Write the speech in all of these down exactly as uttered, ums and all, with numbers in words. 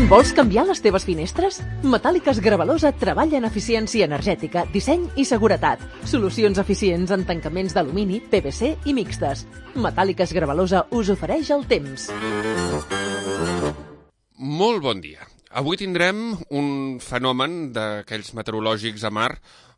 Vols canviar les teves finestres? Metàl·liques Gravalosa treballa en eficiència energètica, disseny i seguretat. Solucions eficients en tancaments d'alumini, P V C i mixtes. Metàl·liques Gravalosa us ofereix el temps. Molt bon dia. Avui tindrem un fenomen d'aquells meteorològics a mar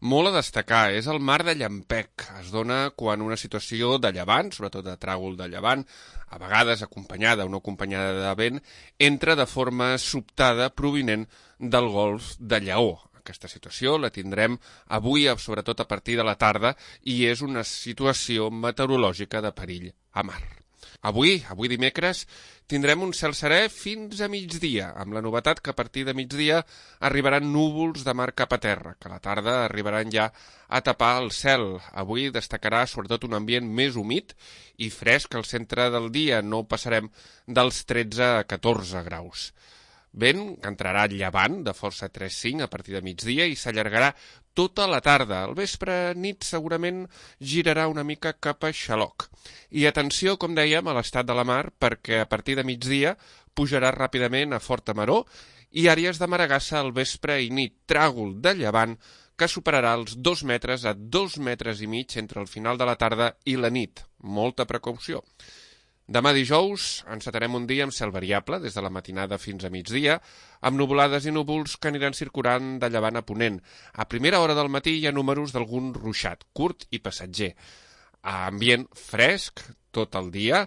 molt a destacar. És el mar de llampec. Es dona quan una situació de llevant, sobretot de tràgol de llevant, a vegades acompanyada o no acompanyada de vent, entra de forma sobtada provinent del golf de Lleó. Aquesta situació la tindrem avui, sobretot a partir de la tarda, i és una situació meteorològica de perill a mar. Avui, avui dimecres, tindrem un cel serè fins a migdia, amb la novetat que a partir de migdia arribaran núvols de mar cap a terra, que a la tarda arribaran ja a tapar el cel. Avui destacarà sobretot un ambient més humit i fresc al centre del dia, no passarem dels tretze a catorze graus. Vent que entrarà llevant de força tres cinc a partir de migdia i s'allargarà tota la tarda. Al vespre nit segurament girarà una mica cap a xaloc. I atenció, com dèiem, a l'estat de la mar, perquè a partir de migdia pujarà ràpidament a forta maror i àrees de maragassa al vespre i nit, tràgol de llevant que superarà els dos metres a dos metres i mig entre el final de la tarda i la nit. Molta precaució. Demà dijous encetarem un dia amb cel variable des de la matinada fins a migdia, amb nuvolades i núvols que aniran circulant de llevant a ponent. A primera hora del matí hi ha números d'algun ruixat, curt i passatger. Ambient fresc tot el dia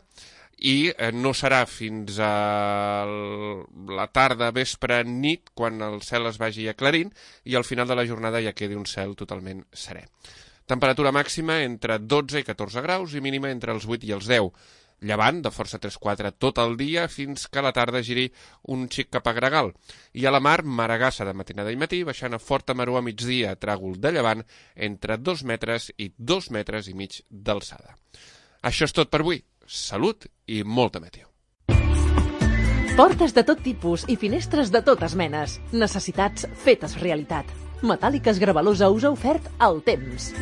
i no serà fins a la tarda, vespre, nit, quan el cel es vagi aclarint i al final de la jornada ja quedi un cel totalment serè. Temperatura màxima entre dotze i catorze graus i mínima entre els vuit i els deu. Llevant de força tres quatre tot el dia fins que a la tarda giri un xic cap a gregal. I a la mar, maragassa de matinada i matí, baixant a forta maror a migdia, tràgol de llevant entre dos metres i dos metres i mig d'alçada. Això és tot per avui. Salut i molta meteo. Portes de tot tipus i finestres de totes menes. Necessitats fetes realitat. Metàl·liques Gravalosa us ha ofert el temps.